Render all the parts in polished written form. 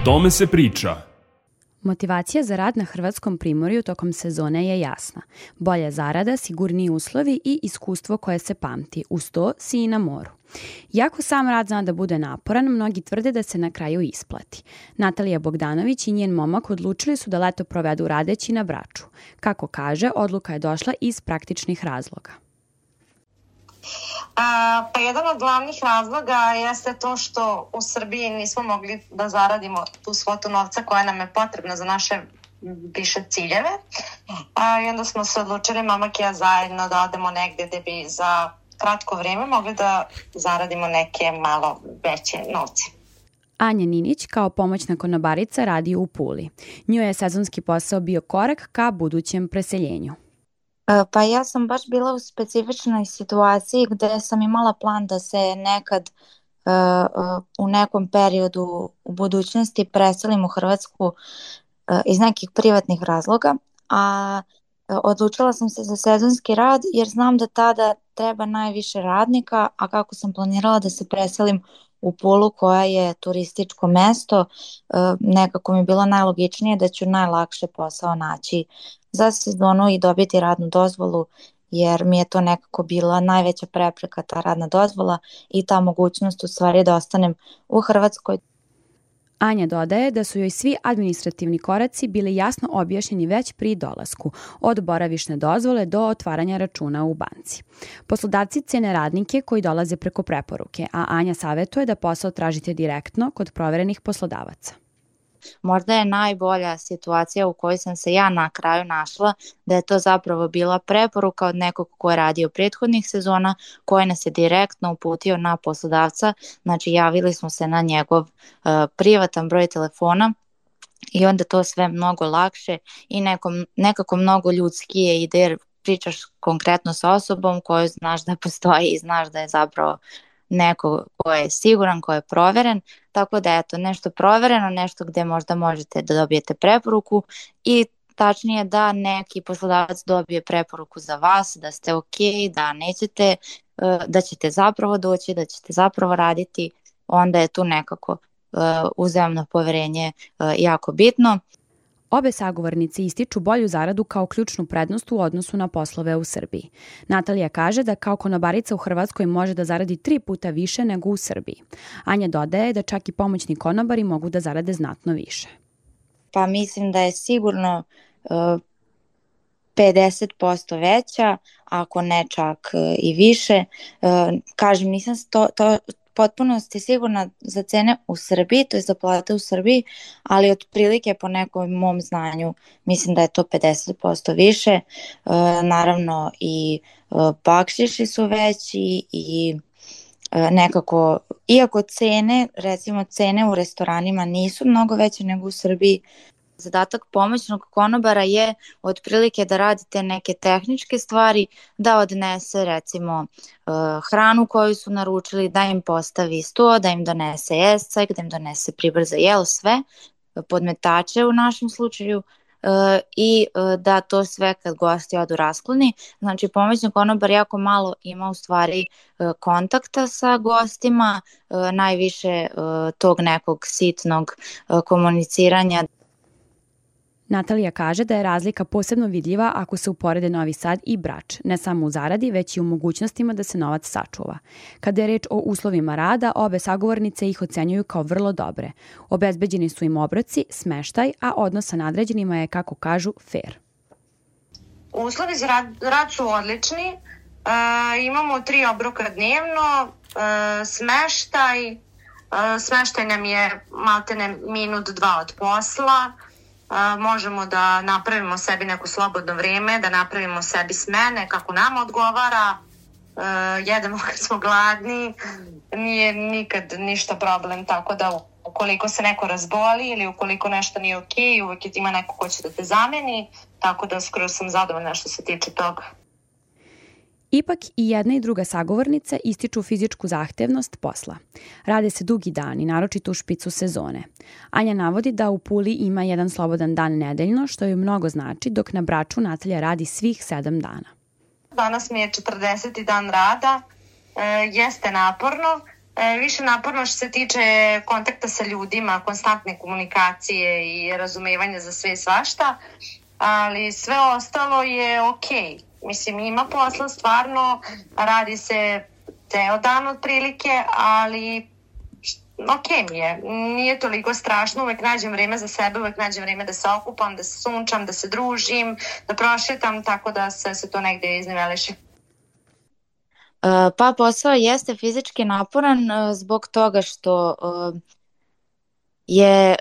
tome se priča. Motivacija za rad na Hrvatskom primorju tokom sezone je jasna. Bolja zarada, sigurniji uslovi i iskustvo koje se pamti. Uz to si i na moru. Iako sam rad zna da bude naporan, mnogi tvrde da se na kraju isplati. Natalija Bogdanović i njen momak odlučili su da leto provedu radeći na Braču. Kako kaže, odluka je došla iz praktičnih razloga. Pa jedan od glavnih razloga jeste to što u Srbiji nismo mogli da zaradimo tu svotu novca koja nam je potrebna za naše više ciljeve. I onda smo se odlučili, mamak i ja zajedno, da odemo negdje gdje bi za kratko vrijeme mogli da zaradimo neke malo veće novce. Anja Ninić kao pomoćna konobarica radi u Puli. Njoj je sezonski posao bio korak ka budućem preseljenju. Pa ja sam baš bila u specifičnoj situaciji gdje sam imala plan da se nekad u nekom periodu u budućnosti preselim u Hrvatsku iz nekih privatnih razloga, a odlučila sam se za sezonski rad jer znam da tada treba najviše radnika, a kako sam planirala da se preselim u Pulu koja je turističko mesto, nekako mi je bilo najlogičnije da ću najlakše posao naći za sezonu i dobiti radnu dozvolu, jer mi je to nekako bila najveća prepreka, ta radna dozvola i ta mogućnost u stvari da ostanem u Hrvatskoj. Anja dodaje da su joj svi administrativni koraci bili jasno objašnjeni već pri dolasku, od boravišne dozvole do otvaranja računa u banci. Poslodavci cene radnike koji dolaze preko preporuke, a Anja savjetuje da posao tražite direktno kod proverenih poslodavaca. Možda je najbolja situacija u kojoj sam se ja na kraju našla da je to zapravo bila preporuka od nekog ko je radio prethodnih sezona, koji nas je direktno uputio na poslodavca, znači javili smo se na njegov privatan broj telefona i onda to sve mnogo lakše i nekako mnogo ljudskije ide jer pričaš konkretno sa osobom koju znaš da postoji i znaš da je zapravo neko ko je siguran, ko je proveren, tako da eto nešto provereno, nešto gdje možda možete da dobijete preporuku i tačnije da neki poslodavac dobije preporuku za vas, da ste ok, da nećete, da ćete zapravo doći, da ćete zapravo raditi, onda je tu nekako uzajamno poverenje jako bitno. Obe sagovornice ističu bolju zaradu kao ključnu prednost u odnosu na poslove u Srbiji. Natalija kaže da kao konobarica u Hrvatskoj može da zaradi 3 puta više nego u Srbiji. Anja dodaje da čak i pomoćni konobari mogu da zarade znatno više. Pa mislim da je sigurno 50% veća, ako ne čak i više. Kažem, nisam potpuno ste sigurna za cene u Srbiji, to je za plate u Srbiji, ali otprilike po nekom mom znanju mislim da je to 50% više. Naravno i bakšiši su veći i nekako, iako cene, recimo cene u restoranima nisu mnogo veće nego u Srbiji, zadatak pomoćnog konobara je otprilike da radite neke tehničke stvari, da odnese recimo hranu koju su naručili, da im postavi sto, da im donese jescajk, da im donese pribor za jelo, sve, podmetače u našem slučaju i da to sve kad gosti odu raskloni. Znači pomoćni konobar jako malo ima u stvari kontakta sa gostima, najviše tog nekog sitnog komuniciranja. Natalija kaže da je razlika posebno vidljiva ako se uporede Novi Sad i Brač, ne samo u zaradi, već i u mogućnostima da se novac sačuva. Kada je reč o uslovima rada, obe sagovornice ih ocenjuju kao vrlo dobre. Obezbeđeni su im obroci, smeštaj, a odnos sa nadređenima je, kako kažu, fair. Uslovi za rad su odlični. Imamo 3 obroka dnevno, smeštaj nam je maltene minut 2 od posla. Možemo da napravimo sebi neko slobodno vrijeme, da napravimo sebi smene kako nam odgovara, jedemo kad smo gladni, nije nikad ništa problem, tako da ukoliko se neko razboli ili ukoliko nešto nije ok, uvijek ima neko ko će da te zameni, tako da skoro sam zadovoljna što se tiče toga. Ipak i jedna i druga sagovornica ističu fizičku zahtevnost posla. Rade se dugi dani, naročito u špicu sezone. Anja navodi da u Puli ima jedan slobodan dan nedeljno, što joj mnogo znači, dok na Braču Natalija radi svih 7 dana. Danas mi je 40. dan rada, jeste naporno, više naporno što se tiče kontakta sa ljudima, konstantne komunikacije i razumevanja za sve i svašta, ali sve ostalo je okej. Mislim, ima posla stvarno, radi se ceo dan otprilike, ali okej mi je. Nije toliko strašno, uvek nađem vreme za sebe, uvek nađem vreme da se okupam, da se sunčam, da se družim, da prošetam, tako da se to negde izniveliše. Pa posao jeste fizički naporan zbog toga što je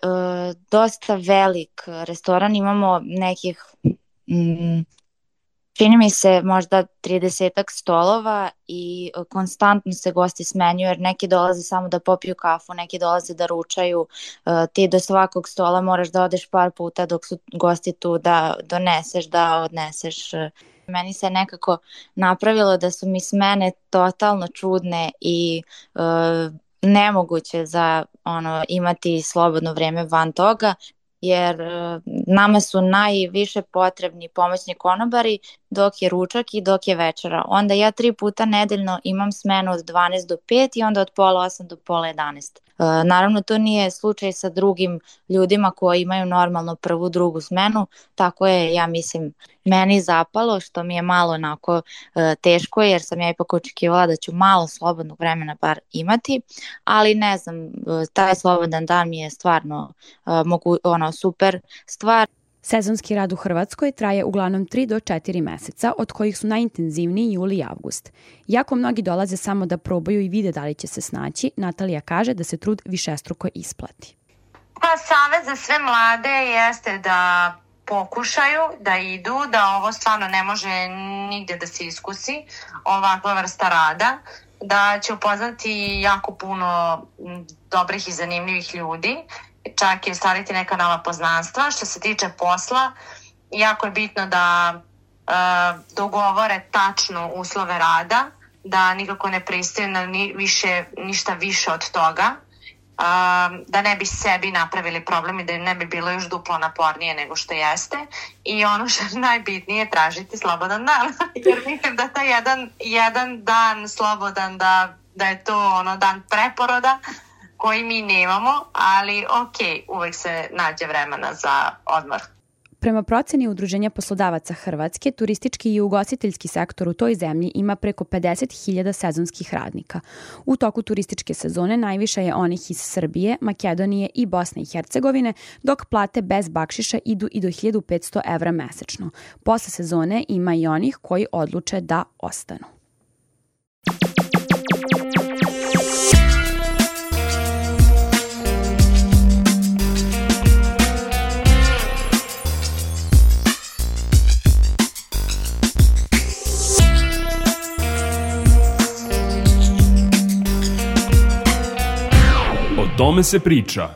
dosta velik restoran, imamo nekih čini mi se možda 30 stolova i konstantno se gosti smenjuju jer neki dolaze samo da popiju kafu, neki dolaze da ručaju, ti do svakog stola moraš da odeš par puta dok su gosti tu da doneseš, da odneseš. Meni se nekako napravilo da su mi smene totalno čudne i nemoguće za imati slobodno vreme van toga, jer nama su najviše potrebni pomoćni konobari dok je ručak i dok je večera. Onda ja 3 puta nedeljno imam smenu od 12 do 5 i onda od pola 8 do pola 11. Naravno, to nije slučaj sa drugim ljudima koji imaju normalno prvu, drugu smenu, tako je, ja mislim, meni zapalo, što mi je malo onako teško, jer sam ja ipak očekivala da ću malo slobodnog vremena bar imati, ali ne znam, taj slobodan dan mi je stvarno super stvar. Sezonski rad u Hrvatskoj traje uglavnom 3 do 4 meseca, od kojih su najintenzivniji juli i avgust. Iako mnogi dolaze samo da probaju i vide da li će se snaći, Natalija kaže da se trud višestruko isplati. Pa savjet za sve mlade jeste da pokušaju, da idu, da ovo stvarno ne može nigde da se iskusi, ovakva vrsta rada, da će upoznati jako puno dobrih i zanimljivih ljudi, čak i ostvariti neka nova poznanstva. Što se tiče posla, jako je bitno da dogovore tačno uslove rada, da nikako ne pristaju na ništa više od toga, da ne bi sebi napravili problem i da ne bi bilo još duplo napornije nego što jeste. I ono što je najbitnije, tražiti slobodan dan. Jer mislim da taj jedan dan slobodan, da je to dan preporoda koji mi nemamo, ali uvek se nađe vremena za odmor. Prema proceni Udruženja poslodavaca Hrvatske, turistički i ugostiteljski sektor u toj zemlji ima preko 50.000 sezonskih radnika. U toku turističke sezone najviše je onih iz Srbije, Makedonije i Bosne i Hercegovine, dok plate bez bakšiša idu i do 1.500 evra mesečno. Posle sezone ima i onih koji odluče da ostanu. O tome se priča.